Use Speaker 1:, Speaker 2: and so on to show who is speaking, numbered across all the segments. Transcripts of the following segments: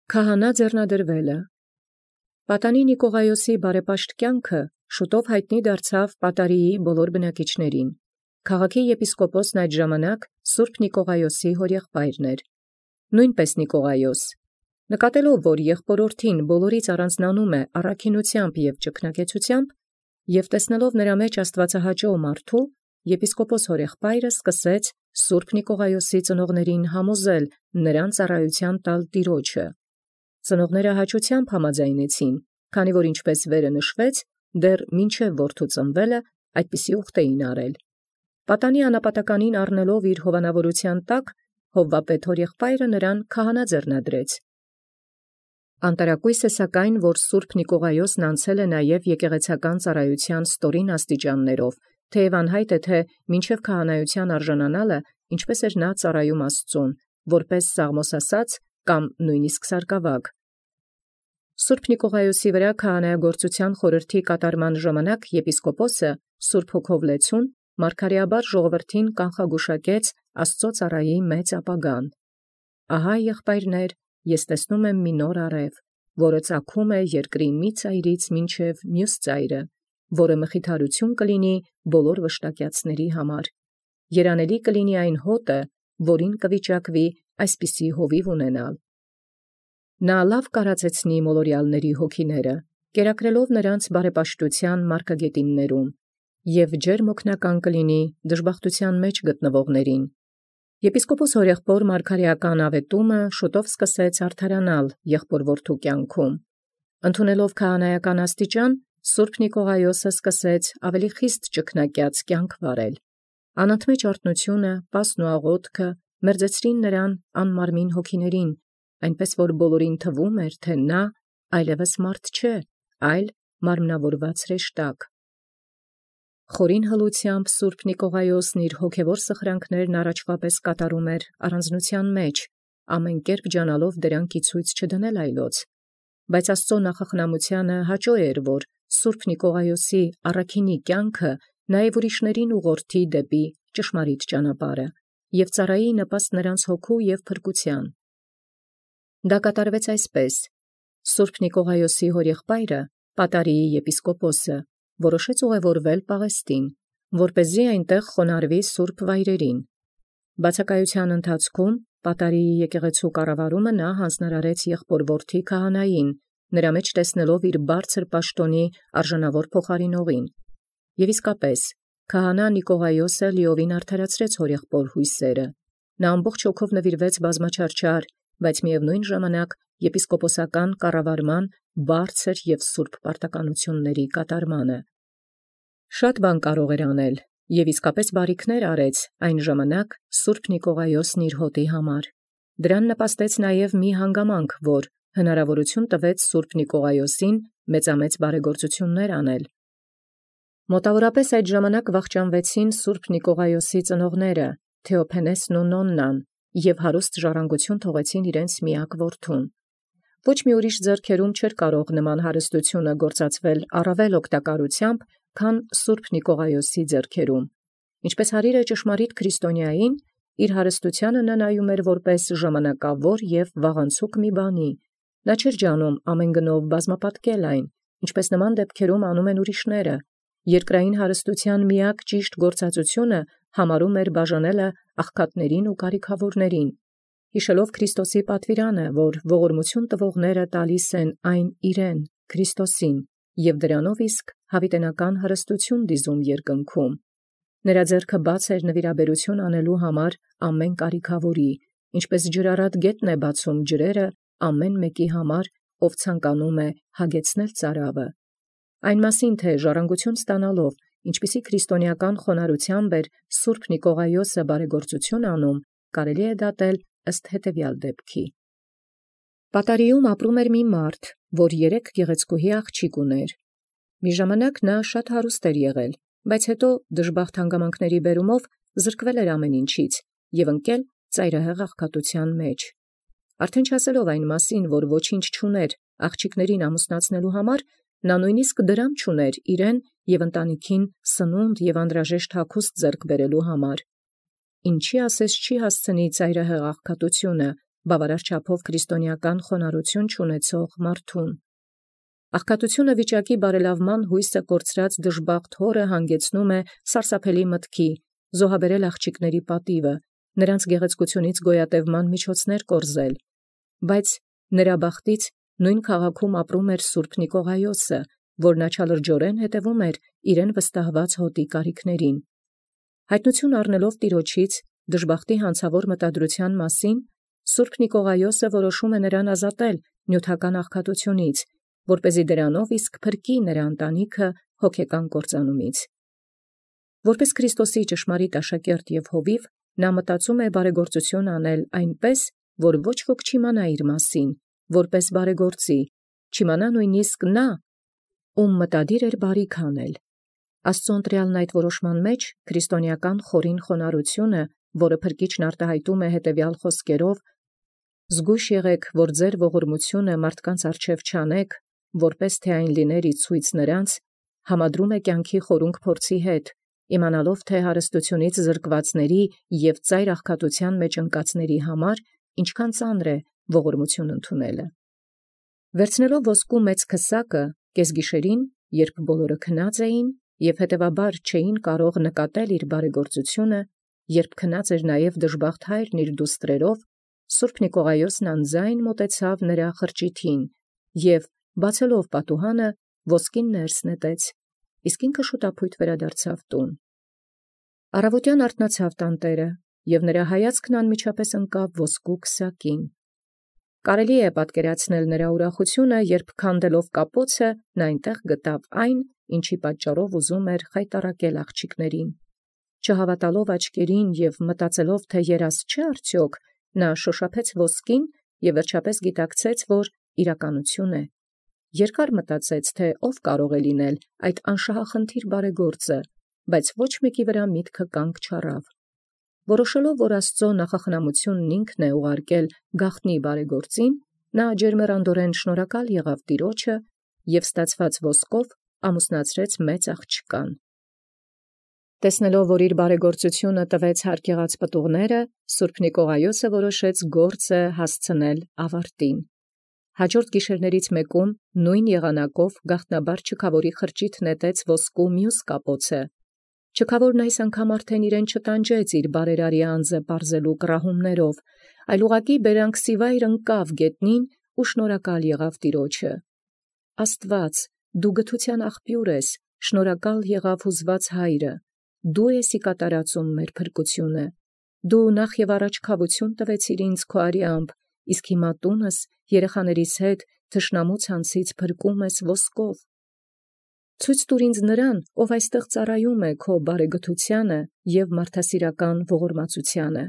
Speaker 1: Քահանա ձեռնադրվելը։ Պատանի Նիկողայոսի բարեպաշտ կյանքը շուտով հայտնի դարձավ Պատարիի բոլոր բնակիչներին։ Քաղաքի եպիսկոպոսն այդ ժամանակ Սուրբ Նիկողայոսի հորեղբայրն էր։ Նույնպես Նիկողայոս, նկատելով, որ եղբորորդին բոլորից առանձնանում է առաքինությամբ և ճգնակեցությամբ, և տեսնելով նրա մեջ աստվածահաճո մարդու, եպիսկոպոս հորեղբայրը սկսեց Սուրբ Նիկողայոսի ծնողներին համոզել նրան ծառայության տալ Տիրոջը։ Ծնողները հաճությամբ համաձայնեցին, քանի որ ինչպես վերը նշվեց, դեռ մինչև որդու ծնվելը այդպիսի ուխտ էին արել։ Պատանի անապատականին առնելով իր հովանավորության տակ, Հովվապետ հորեղբայրը նրան քահանա ձեռնադրեց։ Անտարակույս է սակայն, որ Սուրբ Նիկողայոսն անցել է նաև եկեղեցական ծառայության ստորին աստիճաններով, թեև անհայտ է, թե մինչև քահանայության արժանանալը ինչպես էր նա ծառայում Աստծուն, որպես Սաղմոս ասաց կամ նույնիսկ սարկավագ։ Սուրբ Նիկողայոսի վրա քահանայագործության խորհրդի կատարման ժամանակ եպիսկոպոսը Սուրբ Հոգով լեցուն մարգարեաբար ժողովրդին կանխագուշակեց Աստծո ծառայի մեծ ապագան։ Ահա եղբայրներ, ես տեսնում եմ մի նոր արև, որը ծագում է երկրի մի ծայրից մինչև մյուս ծայրը, որը մխիթարություն կլինի բոլոր վշտակյացների համար։ Երանելի կլինի այն հոտը, որին կվիճակվի այսպիսի հովիվ ունենալ։ Նա լավ կարծեցնի մոլորյալների հոգիները, կերակրելով նրանց բարեպաշտության մարգագետիններում, և ջերմ օգնական կլինի դժբախտության մեջ գտնվողներին։ Եպիսկոպոս հորեղբոր մարգարեական ավետումը շուտով սկսեց արդարանալ եղբոր-որդու կյանքում։ Ընդունելով քահանայական աստիճան, Սուրբ Նիկողայոսը սկսեց ավելի խիստ ճգնակյաց կյանք վարել։ Անընդմեջ արթնությունը, պասն ու աղոթքը մերձեցրին նրան անմարմին հոգիներին, այնպես որ բոլորին թվում էր, թե նա այլևս մարդ չէ, այլ մարմնավորված հրեշտակ։ Խորին հլությամբ Սուրբ Նիկողայոսն իր հոգևոր սխրանքներն առաջվա պես կատարում էր առանձնության մեջ, ամեն կերպ ջանալով դրանք ի ցույց չդնել այլոց։ Բայց Աստծո նախախնամությանը հաճո էր, որ Սուրբ Նիկողայոսի առաքինի կյանքը նաև ուրիշներին ուղղորդի դեպի ճշմարիտ ճանապարհը և ծառայի նպաստ նրանց հոգու և փրկության։ Դա կատարվեց այսպես. Սուրբ Նիկողայոսի հորեղբայրը, Պատարիի եպիսկոպոսը, որոշեց ուղևորվել Պաղեստին, որպեսզի այնտեղ խոնարհվի սուրբ վայրերին։ Բացակայության ընթացքում Պատարիի եկեղեցու կառավարումը նա հանձնարարեց եղբոր-որդի քահանային, նրա մեջ տեսնելով իր բարձր պաշտոնի արժանավոր փոխարինողին։ Եվ իսկապես, քահանա Նիկողայոսը լիովին արդարացրեց հորեղբոր հույսերը։ Նա ամբողջ հոգով նվիրվեց բազմաչարչար, բայց միևնույն ժամանակ եպիսկոպոսական կառավարման բարձր և սուրբ պարտականությունների կատարմանը։ Շատ բան կարող էր անել, և իսկապես բարիքներ արեց այն ժամանակ Սուրբ Նիկողայոսն իր հոտի համար։ Դրան նպաստեց նաև մի հանգամանք, որ հնարավորություն տվեց Սուրբ Նիկողայոսին մեծամեծ բարեգործություններ անել։ Մոտավորապես այդ ժամանակ վախճանվեցին Սուրբ Նիկողայոսի ծնողները, Թեոփենեսն ու Նոննան, և հարուստ ժառանգություն թողեցին իրենց միակ որդուն։ Ոչ մի ուրիշ ձեռքերում չէր կարող նման հարստությունը գործածվել առավել օգտակարությամբ, քան Սուրբ Նիկողայոսի ձեռքերում։ Ինչպես հարիրը ճշմարիտ քրիստոնյային, իր հարստությանը նա նայում էր որպես ժամանակավոր և վաղանցուկ մի բանի։ Նա չէր ջանում ամեն գնով բազմապատկել այն, ինչպես նման դեպքերում անում են ուրիշները։ Երկրային հարստության միակ ճիշտ գործածությունը համարում էր բաժանելը աղքատներին ու կարիքավորներին։ Հիշելով Քրիստոսի պատվիրանը, որ ողորմություն տվողները տալիս են այն իրեն, Քրիստոսին, և դրանով իսկ հավիտենական հարստություն դիզում երկնքում։ Նրա ձեռքը բաց էր նվիրաբերություն անելու համար ամեն կարիքավորի, ինչպես ջրառատ գետն է բացում ջրերը ամեն մեկի համար, ով ցանկանում է հագեցնել ծարավը։ Այն մասին, թե ժառանգություն ստանալով, ինչպիսի քրիստոնեական խոնարհությամբ էր Սուրբ Նիկողայոսը բարեգործություն անում, կարելի է դատել ըստ հետևյալ դեպքի։ Պատարիում ապրում էր մի մարդ, որ 3 գեղեցկուհի աղջիկ ուներ։ Մի ժամանակ նա շատ հարուստ էր եղել, բայց հետո դժբախտ հանգամանքների բերումով զրկվել էր ամեն ինչից և ընկել ծայրահեղ աղքատության մեջ։ Արդեն չասելով այն մասին, որ ոչինչ չուներ աղջիկներին ամուսնացնելու համար, նա նույնիսկ դրամ չուներ իրեն և ընտանիքին սնունդ և անհրաժեշտ հագուստ ձեռք բերելու համար։ Ինչի ասես չի հասցնի ծայրահեղ աղքատությունը, բավարար չափով քրիստոնեական խոնարհություն չունեցող մարդուն։ Աղքատությունը վիճակի բարելավման հույսը կորցրած դժբախտ հորը հանգեցնում է սարսափելի մտքի, զոհաբերել աղջիկների պատիվը, նրանց գեղեցկությունից գոյատևման միջոցներ կորզել, բայց նրա բախտից նույն քաղաքում ապրում էր Սուրբ Նիկողայոսը, որն աչալրջորեն հետևում էր իրեն վստահված հոտի կարիքներին։ Հայտնություն առնելով Տիրոջից դժբախտի հանցավոր մտադրության մասին, Սուրբ Նիկողայոսը որոշում է նրան ազատել նյութական աղքատությունից, որպեսզի դրանով իսկ փրկի նրա ընտանիքը հոգեկան կործանումից։ Որպես Քրիստոսի ճշմարիտ աշակերտ և հովիվ, նա մտածում է բարեգործություն անել այնպես, որ ոչ ոք չիմանա իր մասին, որպես բարեգործի, չիմանա նույնիսկ նա, ում մտադիր էր բարիք անել։ Աստծո ընտրյալն այդ որոշման մեջ քրիստոնեական խորին խոնարհությունը, որը Փրկիչն արտահայտում է հետևյալ խոսքերով. «Զգույշ եղեք, որ ձեր ողորմությունը մարդկանց առջև չանեք, որպես թե այն լիներ ի ցույց նրանց», համադրում է կյանքի խորունկ փորձի հետ, իմանալով թե հարստությունից զրկվածների և ծայր աղքատության մեջ ընկածների համար ինչքան ծանր է ողորմություն ընդունելը։ Վերցնելով ոսկու մեծ քսակը, կեսգիշերին, երբ բոլորը քնած էին և հետևաբար չէին կարող նկատել իր բարեգործությունը, երբ քնած էր նաև դժբախտ հայրն իր դուստրերով, Սուրբ Նիկողայոսն անձայն մոտեցավ նրա խրճիթին և, բացելով պատուհանը, ոսկին ներս նետեց, իսկ ինքը շուտապույտ վերադարձավ տուն։ Առավոտյան արթնացավ տանտերը, և նրա հայացքն անմիջապես ընկավ ոսկու քսակին։ Կարելի է պատկերացնել նրա ուրախությունը, երբ քանդելով կապոցը, նա այնտեղ գտավ այն, ինչի պատճառով ուզում էր խայտառակել աղջիկներին։ Չհավատալով աչքերին և մտածելով, թե երազ չէ արդյոք, նա շոշափեց ոսկին և վերջապես գիտակցեց, որ իրականություն է։ Երկար մտածեց, թե ով կարող է լինել այդ անշահախնդիր բարեգործը, բայց ոչ մեկի վրա միտքը կանգ չառավ։ Որոշելով, որ Աստծո նախախնամությունն ինքն է ուղարկել գաղտնի բարեգործին, նա ջերմեռանդորեն շնորհակալ եղավ Տիրոջը և ստացված ոսկով ամուսնացրեց մեծ աղջկան։ Տեսնելով, որ իր բարեգործությունը տվեց հարկ եղած պտուղները, Սուրբ Նիկողայոսը որոշեց գործը հասցնել ավարտին։ Հաջորդ գիշերներից մեկում նույն եղանակով գաղտնաբար չքավորի խրճիթ նետեց ոսկու մյուս կապոցը։ Չքավորն այս անգամ արդեն իրեն չտանջեց իր բարերարի անձը պարզելու կռահումներով, այլ ուղղակի բերանքսիվայր ընկավ գետնին ու շնորհակալ եղավ Տիրոջը։ Աստված, դու գթության աղբյուր ես, շնորհակալ եղավ հուզված հայրը, դու ես ի կատարածում մեր փրկությունը, դու նախ և առաջ քավություն տվեցիր ինձ քո արյամբ, իսկ հիմա տունս երեխաներիս հետ թշնամու ցանցից փրկում ես ոսկով։ Ցույց տուր ինձ նրան, ով այստեղ ծառայում է քո բարեգթությանը և մարդասիրական ողորմածությանը։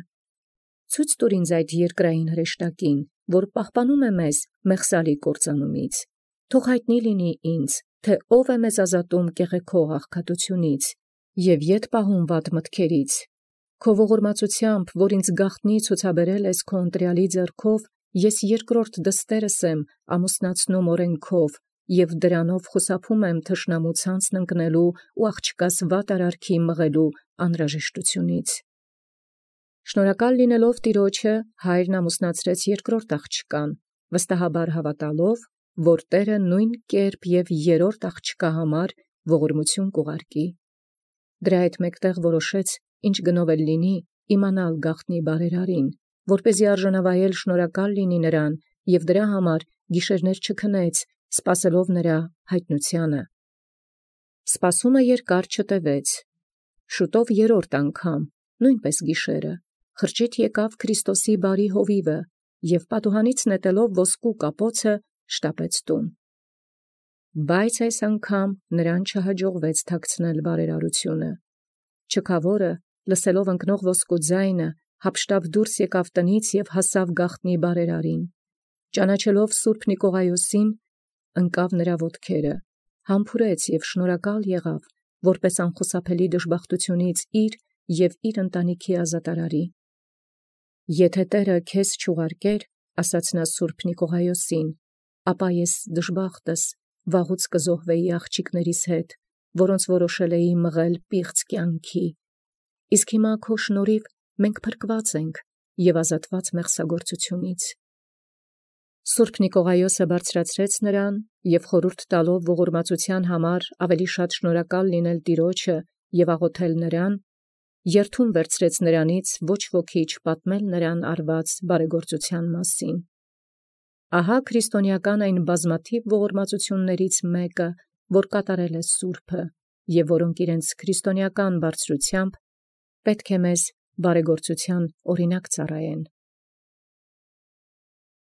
Speaker 1: Ցույց տուր ինձ այդ երկրային հրեշտակին, որ պահպանում է մեզ մեղսալի կործանումից։ Թող հայտնի լինի ինձ, թե ով է մեզ ազատում կեղեքող աղքատությունից և ետ պահում վատ մտքերից։ Քո ողորմածությամբ, որ ինձ գաղտնի ցուցաբերել ես քո ընտրյալի ձեռքով, ես երկրորդ դստերս եմ ամուսնացնում օրենքով և դրանով խուսափում եմ թշնամու ցանցն ընկնելու ու աղջկաս վատ արարքի մղելու անհրաժեշտությունից։ Շնորհակալ լինելով Տիրոջը, հայրն ամուսնացրեց երկրորդ աղջկան, վստահաբար հավատալով, որ Տերը նույն կերպ և երրորդ աղջկա համար ողորմություն կուղարկի։ Դրա հետ մեկտեղ որոշեց, ինչ գնով էլ լինի, իմանալ գաղտնի բարերարին, որպեսզի արժանավայել շնորհակալ լինի նրան և դրա համար գիշերներ չքնեց, սպասելով նրա հայտնությանը։ Սպասումը երկար չտևեց։ Շուտով երրորդ անգամ, նույնպես գիշերը, խրճիթ եկավ Քրիստոսի բարի հովիվը և պատուհանից նետելով ոսկու կապոցը շտապեց տուն։ Բայց այս անգամ նրան չհաջողվեց թաքցնել բարերարությունը։ Չքավորը, լսելով ընկնող ոսկու ձայնը, հափշտապ դուրս եկավ տնից և հասավ գաղտնի բարերարին։ Ճանաչելով Սուրբ Նիկողայոսին, ընկավ նրա ոտքերը, համբուրեց և շնորհակալ եղավ, որպես անխուսափելի դժբախտությունից իր և իր ընտանիքի ազատարարի։ Եթե Տերը քեզ չուղարկեր, ասաց նա Սուրբ Նիկողայոսին, ապա ես դժբախտս վաղուց կզոհվեի աղջիկներիս հետ, որոնց որոշել էի մղել պիղծ կյանքի։ Իսկ հիմա քո շնորհիվ մենք փրկված ենք և ազատված մեղսագործությունից։ Սուրբ Նիկողայոսը բարձրացրեց նրան և խորհուրդ տալով ողորմածության համար ավելի շատ շնորհակալ լինել Տեառնէ և աղոթել նրան, երդում վերցրեց նրանից ոչ ոքի չպատմել նրան արված բարեգործության մասին։ Ահա քրիստոնեական այն բազմաթիվ ողորմածություններից մեկը, որ կատարել է Սուրբը, և որոնք իրենց քրիստոնեական բարձրութեամբ պետք է մեզ բարեգործության օրինակ ծառայեն։